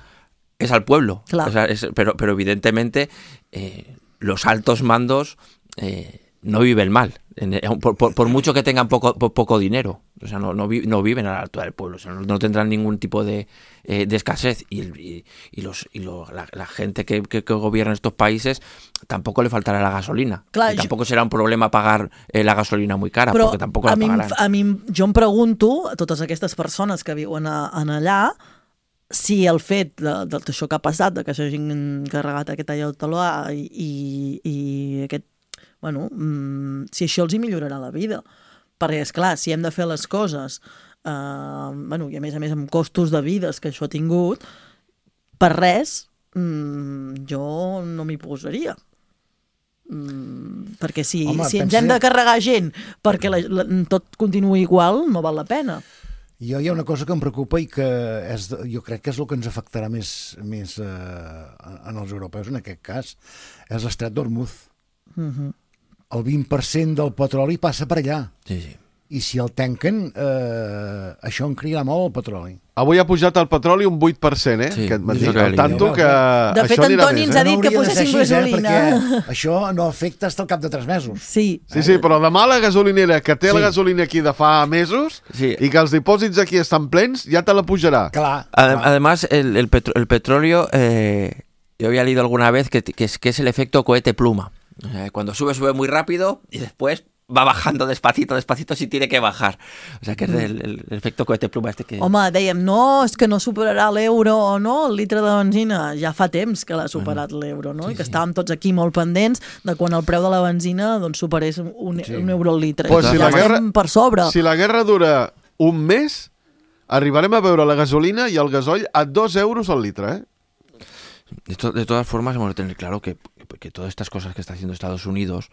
es al pueblo. Claro. O sea, pero evidentemente los altos mandos no viven mal, por mucho que tengan poco dinero. O sea, no viven a la altura del pueblo, o sea, no tendrán ningún tipo de escasez, y la gente que gobierna estos países tampoco le faltará la gasolina. Clar, i tampoc serà un problema pagar la gasolina muy cara, perquè tampoc la pagaran. Jo em pregunto, a totes aquestes persones que viuen allà, si el fet d'això que ha passat, de que s'hagin carregat aquest ayatollah i aquest... Bueno, si això els hi millorarà la vida. Perquè, esclar, si hem de fer les coses, i a més amb costos de vides que això ha tingut, per res, jo no m'hi posaria. Perquè si ens hem de carregar gent perquè tot continuï igual, no val la pena. Hi ha una cosa que em preocupa i que jo crec que és el que ens afectarà més en els europeus en aquest cas, és l'estret d'Hormuz. El 20% del petroli passa per allà. Sí, sí. I si el tanquen, això encriarà molt el petroli. Avui ha pujat el petroli un 8%, Sí, aquest matí. tanto que de fet, Antoni ens ha dit que posessin gasolina. Perquè això no afecta fins al cap de 3 mesos. Sí. Sí, però demà la gasolinera, que té la gasolina aquí de fa mesos, i que els dipòsits aquí estan plens, ja te la pujarà. Clar. Además, el petróleo, yo había leído alguna vez que es el efecto cohete pluma. Cuando sube muy rápido y después va bajando despacito si tiene que bajar. O sea, que es el efecto cohete pluma que... Home, dèiem, no, és que no superarà l'euro, no? El litre de benzina ja fa temps que l'ha superat l'euro, no? I que estàvem tots aquí molt pendents de quan el preu de la benzina superés un euro al litre. Pues ja estem per sobre. Si la guerra dura un mes, arribarem a veure la gasolina i el gasoil a 2 euros al litre, De todas formas, hemos de tener claro que todas estas cosas que está haciendo Estados Unidos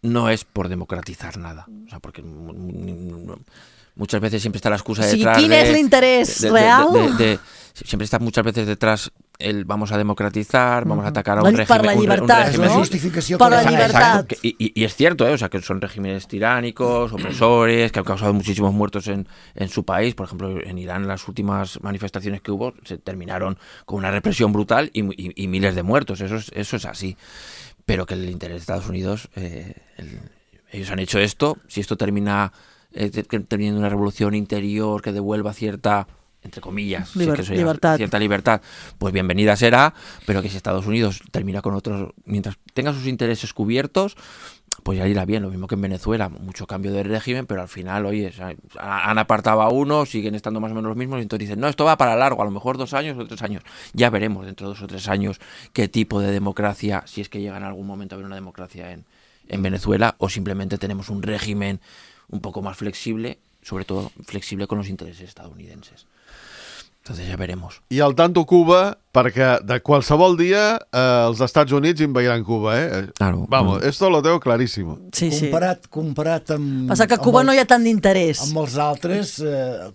no es por democratizar nada. O sea, porque muchas veces siempre está la excusa detrás ¿quién es el interés real? Siempre está muchas veces detrás vamos a democratizar, vamos a atacar a un régimen... Per la llibertat, un régimen, ¿no? justificació per la llibertat. Y es cierto, o sea, que son regímenes tiránicos, opresores, que han causado muchísimos muertos en su país. Por ejemplo, en Irán las últimas manifestaciones que hubo se terminaron con una represión brutal y miles de muertos. Eso es así. Pero que el interés de Estados Unidos, ellos han hecho esto. Si esto termina teniendo una revolución interior que devuelva cierta, entre comillas, cierta libertad, pues bienvenida será, pero que si Estados Unidos termina con otros, mientras tenga sus intereses cubiertos, pues ya irá bien. Lo mismo que en Venezuela, mucho cambio de régimen, pero al final, oye, han apartado a uno, siguen estando más o menos los mismos, y entonces dicen, no, esto va para largo, a lo mejor 2 años o 3 años. Ya veremos dentro de 2 o 3 años qué tipo de democracia, si es que llega en algún momento a haber una democracia en Venezuela, o simplemente tenemos un régimen un poco más flexible, sobre todo flexible con los intereses estadounidenses. Entonces ja veremos. I al tanto Cuba, perquè de qualsevol dia els Estats Units invadiran Cuba, Claro. Vamos, esto lo tengo clarísimo. Sí, sí. Comparat amb... Passa que a Cuba no hi ha tant d'interès. Amb els altres,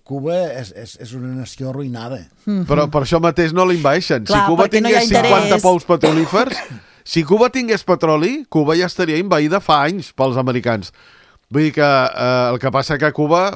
Cuba és una nació arruïnada. Però per això mateix no l'invaeixen. Clar, si Cuba perquè no hi ha tingués 50 interès. pous petrolífers, si Cuba tingués petroli, Cuba ja estaria invaïda fa anys pels americans. Vull dir que el que passa que a Cuba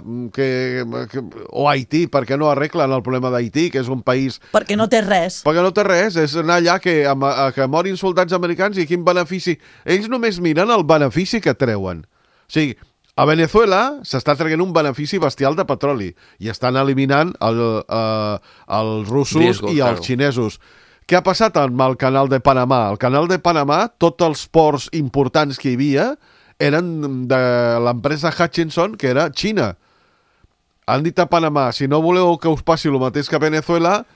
o Haití, per què no arreglen el problema d'Haití, que és un país... Perquè no té res. Perquè no té res, és anar allà que morin soldats americans i quin benefici... Ells només miren el benefici que treuen. O sigui, a Venezuela s'està traient un benefici bestial de petroli i estan eliminant els russos i els xinesos. Què ha passat amb el canal de Panamà? El canal de Panamà, tots els ports importants que hi havia eren de l'empresa Hutchinson, que era Xina. Han dit a Panamà, si no voleu que us passi el mateix que a Venezuela,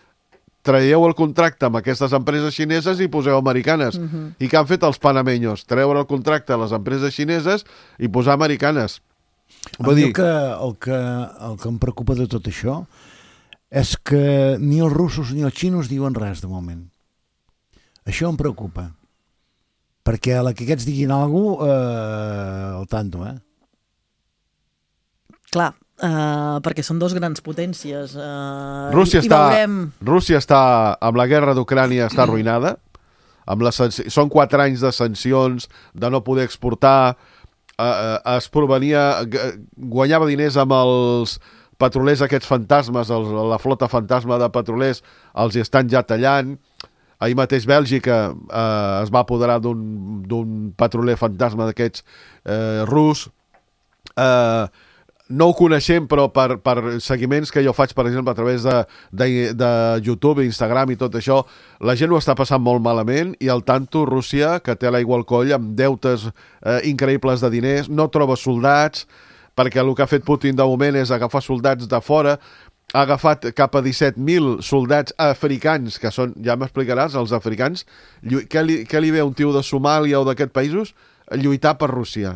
traieu el contracte amb aquestes empreses xineses i poseu americanes. I què han fet els panameños? Treure el contracte a les empreses xineses i posar americanes. El que em preocupa de tot això és que ni els russos ni els xinos diuen res de moment. Això em preocupa. Perquè a la que aquests diguin alguna cosa, al tanto, Clar, perquè són 2 grans potències. Rússia està amb la guerra d'Ucrània, està arruïnada. Són 4 anys de sancions, de no poder exportar. Es guanyava diners amb els petrolers aquests fantasmes, la flota fantasma de petrolers, els hi estan ja tallant. Ahir mateix Bèlgica es va apoderar d'un petroler fantasma d'aquests rus. No ho coneixem, però per seguiments que jo faig, per exemple, a través de YouTube, Instagram i tot això, la gent ho està passant molt malament i al tanto Rússia, que té l'aigua al coll amb deutes increïbles de diners, no troba soldats, perquè el que ha fet Putin de moment és agafar soldats de fora. Ha agafat cap a 17.000 soldats africans, que són, ja m'explicaràs, els africans, què li ve a un tio de Somàlia o d'aquests països? Lluitar per Rússia.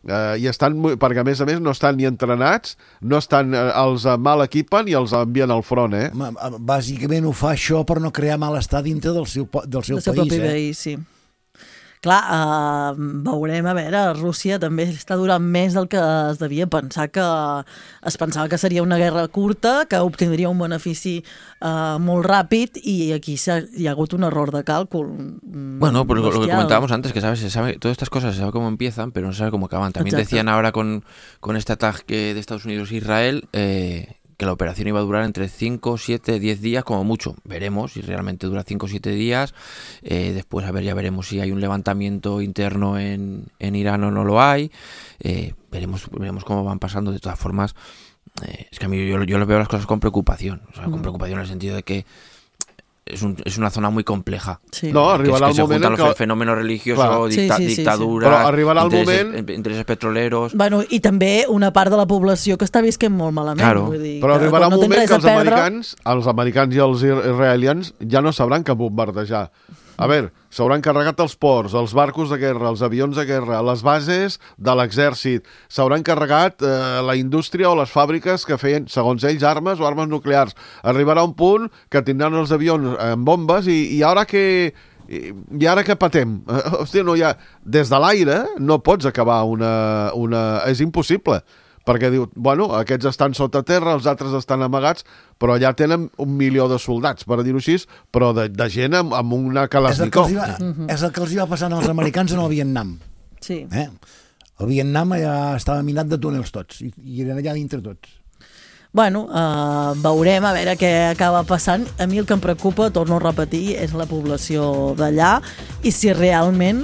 I estan, perquè a més no estan ni entrenats, no estan, els mal equipen i els envien al front, Bàsicament ho fa això per no crear malestar dintre del seu país. Propi país, sí. Clar, veurem, a veure, Rússia també està durant més del que es devia pensar, que es pensava que seria una guerra curta, que obtindria un benefici molt ràpid, i aquí hi ha hagut un error de càlcul. Bueno, pues lo que comentábamos antes, que se sabe, todas estas cosas se sabe cómo empiezan, pero no se sabe cómo acaban. También decían ahora con este ataque de Estados Unidos e Israel, que la operación iba a durar entre 5, 7, 10 días como mucho. Veremos si realmente dura 5 o 7 días. Después, ya veremos si hay un levantamiento interno en Irán o no lo hay. Veremos cómo van pasando. De todas formas, es que a mí yo veo las cosas con preocupación. O sea, con preocupación en el sentido de que es una zona muy compleja. Sí. No, arribarà el moment en què... fenómeno religioso, dictadura, però arribarà el moment... intereses petroleros... Bueno, i també una part de la població que està visquent molt malament. Claro. Vull dir, però arribarà un moment que els americans i els israelians ja no sabran què bombardejar. A veure, s'hauran carregat els ports, els barcos de guerra, els avions de guerra, les bases de l'exèrcit, s'hauran carregat la indústria o les fàbriques que feien, segons ells, armes o armes nuclears. Arribarà un punt que tindran els avions amb bombes i ara que... I ara què patem? Hòstia, no hi ha... Des de l'aire no pots acabar una... És impossible, perquè diu, bueno, aquests estan sota terra, els altres estan amagats, però allà tenen 1 milió de soldats, per dir-ho així, però de gent amb una Kalashnikov. És el que els hi va passar als americans en el Vietnam. Sí. El Vietnam ja estava minat de túnels tots, i eren allà dintre tots. Bueno, veurem a veure què acaba passant. A mi el que em preocupa, torno a repetir, és la població d'allà i si realment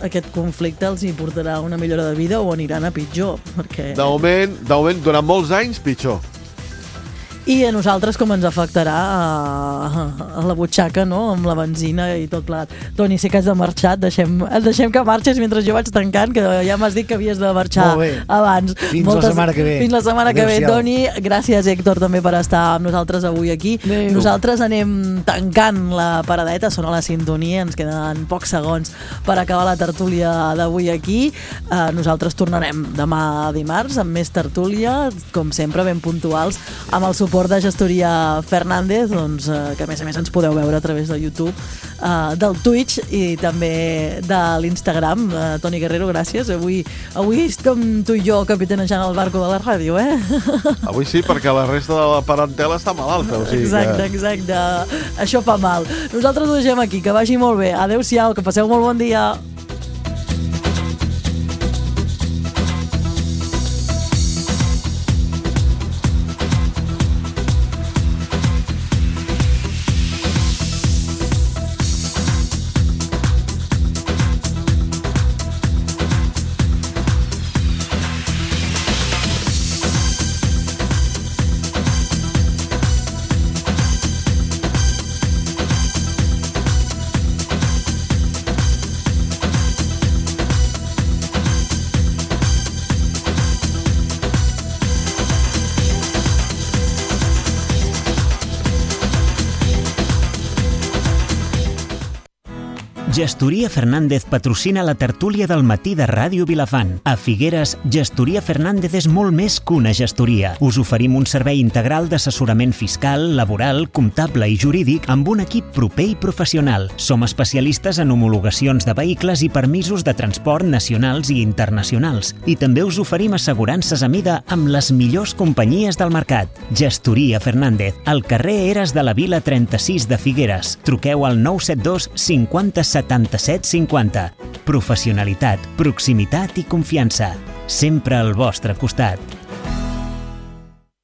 aquest conflicte els hi portarà una millora de vida o aniran a pitjor. Perquè... De moment, durant molts anys, pitjor. I a nosaltres com ens afectarà a la butxaca, no?, amb la benzina i tot plegat. Toni, sé que has de marxar, deixem que marxes mentre jo vaig tancant, que ja m'has dit que havies de marxar abans. Fins la setmana que ve. Fins la setmana que ve, Toni. Gràcies, Héctor, també per estar amb nosaltres avui aquí. Nosaltres anem tancant la paradeta, sona la sintonia, ens queden pocs segons per acabar la tertúlia d'avui aquí. Nosaltres tornarem demà dimarts amb més tertúlia, com sempre, ben puntuals, amb el suport de Gestoria Fernández, doncs, que a més ens podeu veure a través de YouTube, del Twitch i també de l'Instagram. Toni Guerrero, gràcies. Avui com tu i jo capitanejant el barco de la ràdio, Avui sí, perquè la resta de la parentela està malalta. O sigui exacte. Això fa mal. Nosaltres ho deixem aquí, que vagi molt bé. Adéu-siau, que passeu molt bon dia. Gestoria Fernández patrocina la tertúlia del matí de Ràdio Vilafant. A Figueres, Gestoria Fernández és molt més que una gestoria. Us oferim un servei integral d'assessorament fiscal, laboral, comptable i jurídic amb un equip proper i professional. Som especialistes en homologacions de vehicles i permisos de transport nacionals i internacionals. I també us oferim assegurances a mida amb les millors companyies del mercat. Gestoria Fernández, al carrer Eres de la Vila 36 de Figueres. Truqueu al 972 50 77 50. Professionalitat, proximitat i confiança. Sempre al vostre costat.